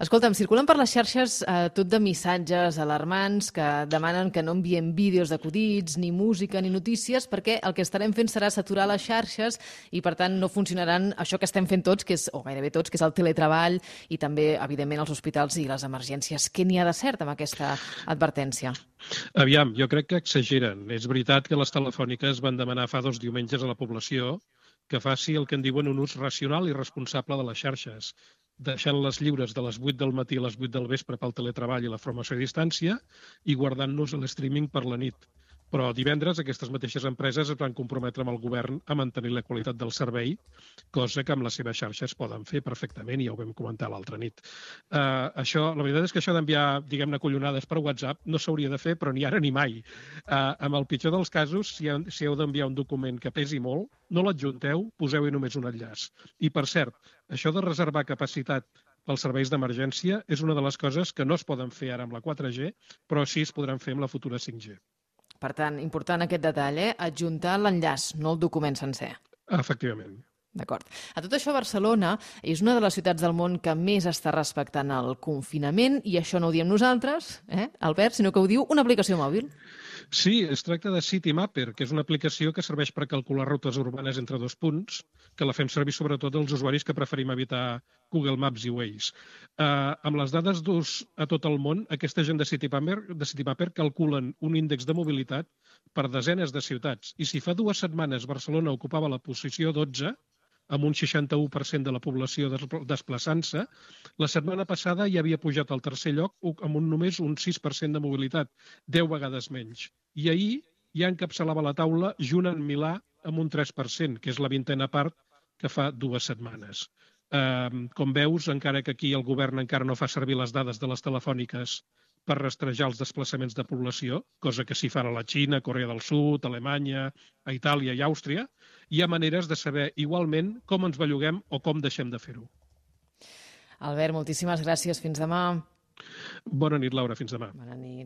Escolta'm, circulen per les xarxes tot de missatges alarmants que demanen que no enviem vídeos d'acudits, ni música, ni notícies, perquè el que estarem fent serà saturar les xarxes i, per tant, no funcionaran això que estem fent tots, que és, o gairebé tots, que és el teletreball i també, evidentment, els hospitals i les emergències. Què n'hi ha de cert amb aquesta advertència? Aviam, jo crec que exageren. És veritat que les telefòniques van demanar fa 2 diumenges a la població que faci el que en diuen un ús racional i responsable de les xarxes, deixant-les lliures de les 8 del matí a les 8 del vespre pel teletreball i la formació a distància i guardant-nos l'streaming per la nit. Però divendres aquestes mateixes empreses es van comprometre amb el govern a mantenir la qualitat del servei, cosa que amb les seves xarxes poden fer perfectament, i ja ho vam comentar l'altra nit. La veritat és que això d'enviar, diguem-ne, collonades per WhatsApp no s'hauria de fer, però ni ara ni mai. Amb el pitjor dels casos, si heu d'enviar un document que pesi molt, no l'adjunteu, poseu-hi només un enllaç. I, per cert, això de reservar capacitat pels serveis d'emergència és una de les coses que no es poden fer ara amb la 4G, però sí es podran fer amb la futura 5G. Per tant, important aquest detall, adjuntar l'enllaç, no el document sencer. Efectivament. D'acord. A tot això, Barcelona és una de les ciutats del món que més està respectant el confinament, i això no ho diem nosaltres, Albert, sinó que ho diu una aplicació mòbil. Sí, es tracta de Citymapper, que és una aplicació que serveix per calcular rutes urbanes entre 2 punts, que la fem servir sobretot els usuaris que preferim evitar Google Maps i Waze. Amb les dades d'ús a tot el món, aquesta gent de Citymapper calculen un índex de mobilitat per desenes de ciutats. I si fa 2 setmanes Barcelona ocupava la posició 12, amb un 61% de la població desplaçant-se, la setmana passada ja havia pujat al 3è lloc amb només un 6% de mobilitat, 10 vegades menys. I ahir ja encapçalava la taula junt amb Milà amb un 3%, que és la 20a part que fa 2 setmanes. Com veus, encara que aquí el govern encara no fa servir les dades de les telefòniques per rastrejar els desplaçaments de població, cosa que sí fan a la Xina, Corea del Sud, Alemanya, a Itàlia i Àustria, hi ha maneres de saber igualment com ens belluguem o com deixem de fer-ho. Albert, moltíssimes gràcies. Fins demà. Bona nit, Laura. Fins demà. Bona nit.